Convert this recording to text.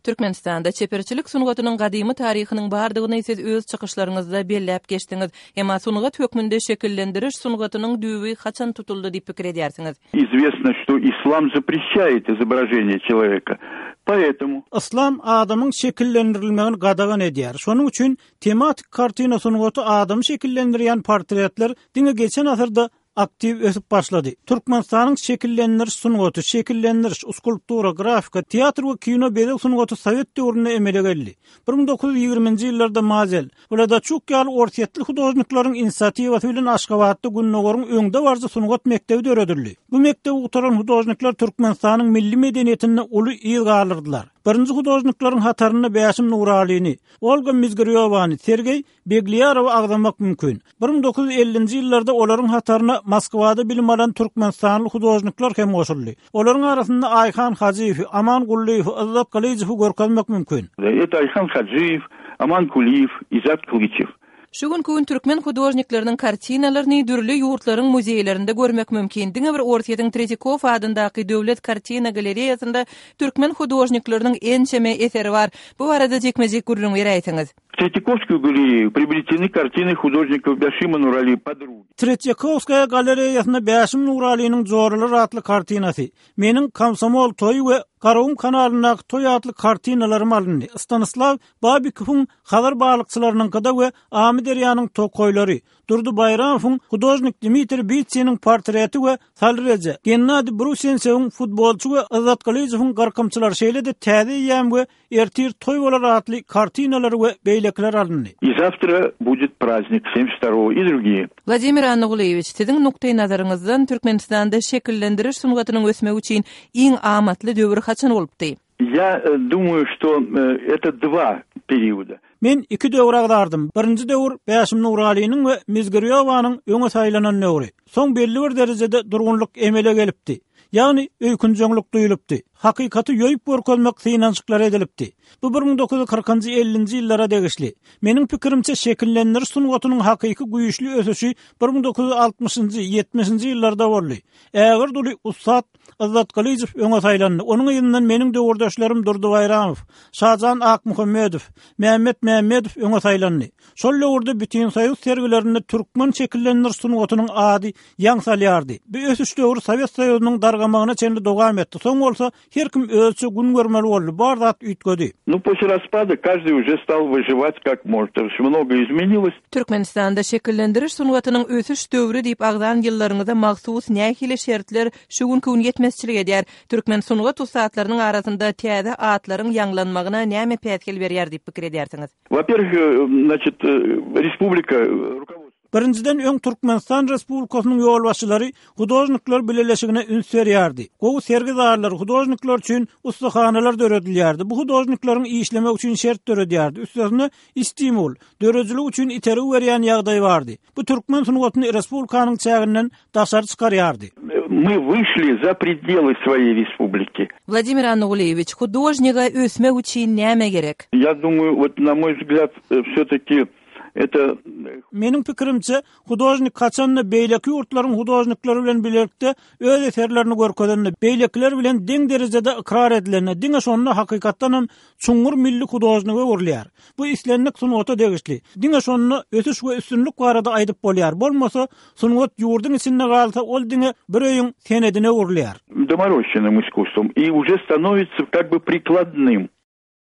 Türkmenistanda çeperçilik sungatynyň gadymy taryhynyň bardygyny siz öz çykyşlaryňyzda belläp geçdiňiz. Emma sungat hökmünde şekillendiriş sungatynyň düýbi haçan tutuldy diýip pikir edýärsiňiz? Известно, что ислам запрещает изображение человека, поэтому. Yslam adamyň şekillendirilmegini gadagan edýär. Şonuň üçin tematik kartina sungaty adamy şekillendirýän portretler diňe geçen asyrda aktiw ösüp başlady. Türkmenistanyň şekillendiriş sungaty, şekillendiriş, skulptura, grafika, teatr we kino bezeg sungaty sowet döwründe emele geldi. 1920-nji ýyllarda Mazel, Wladaçuk ýaly orsýetli hudožnikleriň inisiatiwasy bilen Aşgabatda Gündogaryň öňdebaryjy sungat mekdebi döredildi. Bu mekdebi gutaran hudožnikler Türkmenistanyň milli medeniýetinde uly yz galdyrdylar. Birinji hudožnikleriň hatarynda Bäşim Nuralyny, Olga Mizgirýowany, Sergeý Beglýarowy agzamak mümkin. 1950-nji ýyllarda olaryň hataryna Moskwada bilim alan türkmenistanly hudožnikler hem goşuldy. Olaryň arasynda Aýhan Hajyýewi, Aman Gullyýewi, Yzzat Gylyjowy görkezmek mümkin. Это Aýhan Hajyýew, Aman Kulyýew, Izzat Gylyçew. Şu günki gün türkmen hudožnikleriniň kartinalaryny dürli ýurtlaryň muzeýlerinde görmek mümkin. Diňe bir Orsýetiň Tretýakow adyndaky döwlet kartina galereýasynda türkmen hudožnikleriniň ençeme eseri bar. Bu barada jikme-jik gürrüň beräýseňiz. W Tretýakowskuýu galereýu priobreteny kartiny hudožnikov Bäşima Nurali Podrugi. Tretýakowskaýa galereýasynda Bäşim Nuralynyň Joralar atly kartinasy, meniň Komsomol toýy we Garagum kanalyndaky toý atly kartinalarym alyndy. Stanislaw Babikowyň Hazar balykçylarynyňkyda we Amyderýanyň tokaýlary, Durdy Baýramowyň hudožnik Dmitriý Bitsiniň portreti we Salyr eje, Gennadiý Brusensewiň Futbolçy we Yzzat Gylyjowyň Gyrkymçylar şeýle-de Täze eýýam we Ertir toý bolar atly kartinalar we beýlekiler alyndy. I zawtra budet praznik semdesýat wtorogo i drugiýe. Wladimir Annagulyýewiç, siziň nukdaýnazaryňyzdan Türkmenistanda şekillendiriş sungatynyň ösmegi üçin iň amatly döwür haçan bolupdy? Ýa dumaýu, şto eto dva perioda. Men iki döwri agzardym. Birinji döwür Bäşim Nuralynyň we Mizgirýowanyň öňe saýlanan döwri. Soň belli bir derejede durgunlyk emele gelipdi. Ýagny öýkünjeňlik duýulypdy. Hakykaty ýoýup görkezmek synanyşyklary edilipdi. Bu 1940-njy, 50-nji ýyllara degişli. Meniň pikirimçe, şekillendiriş sungatynyň hakyky güýçli ösüşi 1960-njy, 70-nji ýyllarda boldy. Ägirt uly ussat Yzzat Gylyjow öňe saýlandy. Onuň yzyndan meniň döwürdeşlerim Durdy Baýramow, Şajan Akmuhammedow, Mämmet Mämmedow öňe saýlandy. Şol döwürde bütinsoýuz sergilerinde türkmen şekillendiriş sungatynyň ady ýaň salýardy. Bu ösüş döwri Sowet Soýuzynyň dargamagyna çenli dowam etdi. Soň bolsa her kim özüçe gün görmeli boldy, bar zat üýtgedi. Nu, posle raspada každyý uje stal wyžiwat kak možet, to ýest mnogo izmenilos. Türkmenistanda şekillendiriş sungatynyň ösüş döwri diýip agzan ýyllaryňyza mahsus nähili şertler şu günki gün ýetmezçilik edýär? Türkmen sungat ussatlarynyň arasynda täze atlaryň ýaňlanmagyna näme päsgel berýär diýip pikir edýärsiňiz? Во-первых, значит, respublika rukovodstwo. Birinjiden, öň Türkmenistan Respublikasynyň ýolbaşçylary Hudožnikler bileleşigine üns berýärdi. Gowy sergi zallary, hudožnikler üçin ussahanalar döredilýärdi. Bu hudožnikleriň işlemegi üçin şert döredýärdi. Üstesine, stimul, döredijilik üçin itergi berýän ýagdaý bardy. Bu türkmen sungatyny respublikanyň çäginden daşary çykarýardy. My wyşli za predelы svoýey respubliki. Wladimir Annagulyýewiç, hudožnige ösmek üçin näme gerek? Ýa dumaýu, wot na moý wzglýad, wsýo-taki eto. Meniň pikirimçe, hudožnik haçan-da beýleki ýurtlaryň hudožnikleri bilen bilelikde öz eserlerini görkezende, beýlekiler bilen deň derejede ykrar edilende, diňe şonda hakykatdan hem çuňňur milli hudožnige öwrülýär. Bu islendik sungata degişli. Diňe şonda ösüş we üstünlik barada aýdyp bolýar. Bolmasa, sungat ýurduň içinde galsa, ol diňe bir öýüň senedine öwrülýär. Domorosçennym iskusstwom i uje stanovitsya kak by prikladnym.